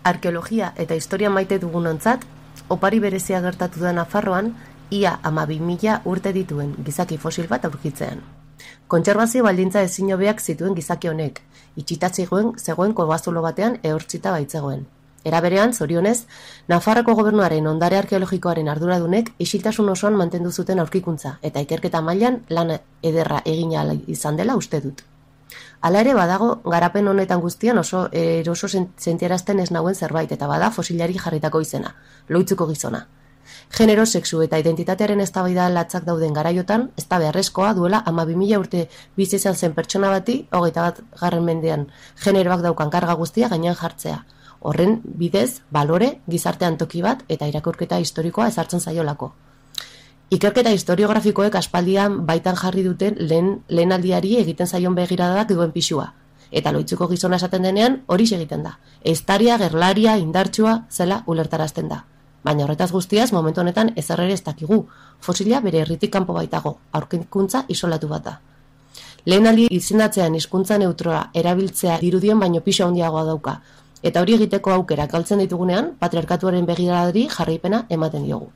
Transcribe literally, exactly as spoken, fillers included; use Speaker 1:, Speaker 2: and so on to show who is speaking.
Speaker 1: Arkeologia eta historia maite dugunontzat, opari berezia gertatu da Nafarroan, ia hamabi mila urte dituen gizaki fosil bat aurkitzean. Kontserbazio baldintza ezin hobeak zituen gizaki honek, itxita zegoen zegoen kobazulo batean ehortzita baitzegoen. Era berean, zorionez, Nafarroko gobernuaren ondare arkeologikoaren arduradunek isiltasun osoan mantendu zuten aurkikuntza eta ikerketa mailan lan ederra egin ahal izan dela uste dut. Hala ere badago, garapen honetan guztian oso eroso sentiarazten ez nauen zerbait eta bada fosilari jarritako izena, loitzuko gizona. Genero, sexu eta identitatearen eztabaida latzak dauden garaiotan, ez da beharrezkoa duela hamabi mila urte bizi izan zen pertsona bati, hogeita bat garren mendean generoak daukan karga guztia gainean jartzea. Horren bidez, balore, gizartean toki bat eta irakurketa historikoa ezartzen zaiolako. Ikerketa historiografikoek aspaldian baitan jarri duten lehen, lehen aldiari egiten zaion begiradak duen pixua. Eta loitzuko gizona esaten denean hori egiten da. Eztaria, gerlaria, indartsua zela ulertarazten da. Baina horretaz guztiaz, momentu honetan ezer ere ez dakigu. Fosila bere herritik kanpo baitago, aurkikuntza isolatu bat da. Lehen aldi izendatzean hizkuntza neutroa erabiltzea dirudien baino pisu handiagoa dauka. Eta hori egiteko aukera galtzen ditugunean, patriarkatuaren begiradari jarraipena ematen diogu.